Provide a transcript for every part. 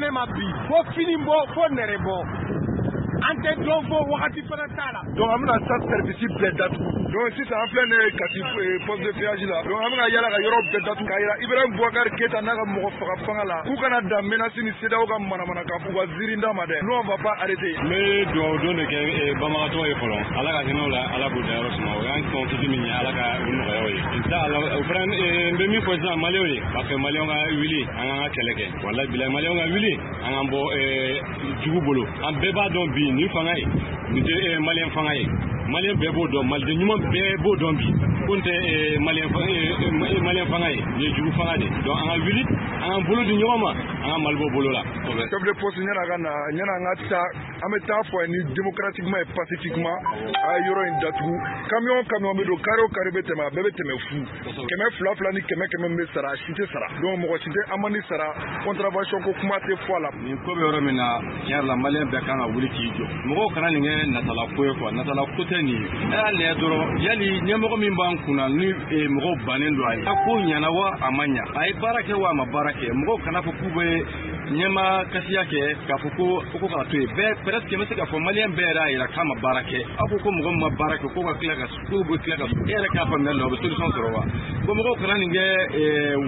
ne ma bi fo fini bɔ, fo nɛrɛ bɔ, an tɛ dɔn fo wagati fana t'a la. Donc an bɛna sa service bɛɛ datugu. Donc sisan an filɛ nin ye Kati poste de péage la. Donc an bɛna yala ka yɔrɔ bɛɛ datugu k'a yira Ibrahim Boubacar Keita n'a ka mɔgɔ faga fanga la, k'u kana dan menace ni CEDEAO ka manamanakan u ka ziirinda ma dɛ. Nous, on va pas arrêter. N bɛ dugawu don de kɛ banbagatɔ ye fɔlɔ, Ala ka hinɛ u la, Ala k'u dayɔrɔ suma. O y'an kɔn kisi min ye, Ala ka u nɔgɔya o ye, inshallah. O fana, n bɛ min fɔ sisan Maliyɛnw ye, parce que Maliyɛnw ka wuli, an k'an ka kɛlɛ kɛ. Walahi bilahi, Maliyɛnw ka wuli, an k'an bɔ jugu bolo. An bɛɛ b'a dɔn bi nin fanga ye nin tɛ Maliyɛn fanga ye. Maliyɛn bɛɛ b'o dɔn, Maliden ɲuman bɛɛ b'o dɔn bi ko nin tɛ Maliyɛn fanga ye, nin ye jugu fanga de. Donc an ka wuli, an k'an bolo di ɲɔgɔn ma, an ka Mali bɔ bolo la. Chef de poste, ɲɛna ka na, ɲɛna an ka taa, an bɛ taa fɔ a ye ni démocratiquement et pacifiquement, a ye yɔrɔ in datugu. Camion camion bɛ don, carré o carré bɛ tɛmɛ, a bɛɛ bɛ tɛmɛ fu. 200 2 ni 100 100 min bɛ sara, a si tɛ sara. Donc mɔgɔ si tɛ amende sara, contravention ko kuma tɛ fɔ a la. Nin ko bɛ yɔrɔ min na, tiɲɛ yɛrɛ la, Maliyɛn bɛɛ kan ka wuli k'i jɔ. Mɔgɔw kana nin kɛ natala ko ye quoi, natala ko tɛ nin ye. A y'a lajɛ dɔrɔn, yali ɲɛmɔgɔ min b'an kunna ni mɔgɔw bannen don a ye, a ko ɲana wa a ma ɲa, a ye baara kɛ wa a ma baara kɛ, mɔgɔw kana fɔ k'u bɛ ɲɛma kasiya kɛ k'a fɔ ko k'a to yen. Bɛɛ presque n bɛ se k'a fɔ Maliyɛn bɛɛ yɛrɛ y'a yira k'a ma baara kɛ. Aw ko ko mɔgɔ min ma baara kɛ, k'o ka tila ka, k'o bɛ tila ka, e yɛrɛ k'a faamuya la, o bɛ solution sɔrɔ wa? Bon, mɔgɔw kana nin kɛ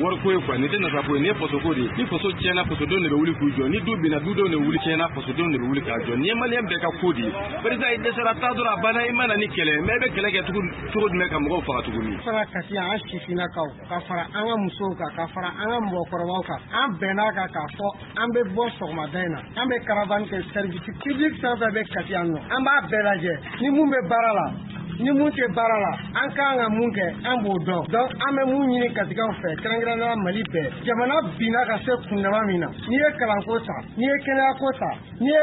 wariko ye quoi. Nin tɛ nata ko ye, nin ye faso ko de ye. Ni faso tiɲɛna, fasodenw de bɛ wuli k'u jɔ. Ni du binna, dudenw de bɛ wuli. Tiɲɛna, fasodenw de bɛ wuli k'a jɔ. Nin ye Maliyɛn bɛɛ ka ko de ye. Président, i dɛsɛra, taa dɔrɔn, a banna. I ma na ni kɛlɛ mais i bɛ kɛlɛ kɛ cogo jumɛn ka mɔgɔw faga tuguni? Fara Kati yan, an sifinnakaw ka fara an ka musow kan, ka fara an ka mɔgɔkɔrɔbaw kan, an bɛnn'a kan k'a fɔ an bɛ bɔ sɔgɔmada in na, an bɛ caravane kɛ. Service public fɛn fɛn bɛ Kati yan nɔ, an b'a bɛɛ lajɛ, ni mun bɛ baara la, ni mun tɛ baara la, an kan ka mun kɛ, an b'o dɔn. Donc an bɛ mun ɲini Katikaw fɛ, kɛrɛnkɛrɛnnenya Mali bɛɛ, jamana binna ka se kundama min na, n'i ye kalanko ta, n'i ye kɛnɛyako ta, n'i ye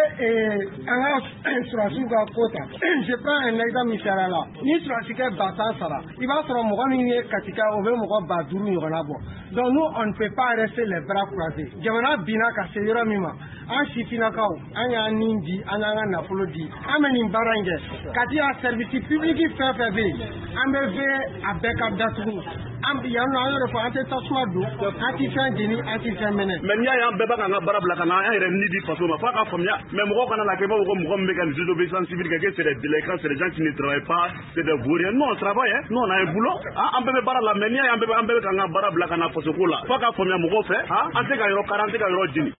an ka sɔrɔdasiw ka ko ta, je prends un exemple misaliya la, ni sɔrɔdasikɛ 10 000 sara, i b'a sɔrɔ mɔgɔ min ye Katika, o bɛ mɔgɔ 5000 ɲɔgɔnna bɔ. Donc nous, on ne peut pas rester les bras croisés. Jamana binna ka se yɔrɔ min ma, an sifinnakaw, an y'an nin di, an y'an ka nafolo di, an bɛ nin baara in kɛ. Kati yan, service public fɛn fɛn bɛ yen, an bɛ veiller a bɛɛ ka datugu. An yan nɔ, an y'o de fɔ, an tɛ tasuma don, an tɛ fɛn jeni, an tɛ fɛn mɛnɛ. Mais n'i y'a ye an bɛɛ b'a k'an ka baara bila ka na an yɛrɛ ni di faso ma, f'a ka faamuya. Mais mɔgɔw kana na kɛ i b'a fɔ ko mɔgɔ min bɛ ka nin désobéissance civile kɛ, que c'est des délinquants, c'est des gens qui ne travaillent pas, c'est des vauriens. Nous, on travaille hein, nous, on a un boulot, an bɛɛ bɛ baara la. Mais n'i y'a ye an bɛɛ bɛ k'an ka baara bila ka na faso ko la, f'a ka faamuya mɔgɔw fɛ, an tɛ ka yɔrɔ kari, an tɛ ka yɔrɔ jeni.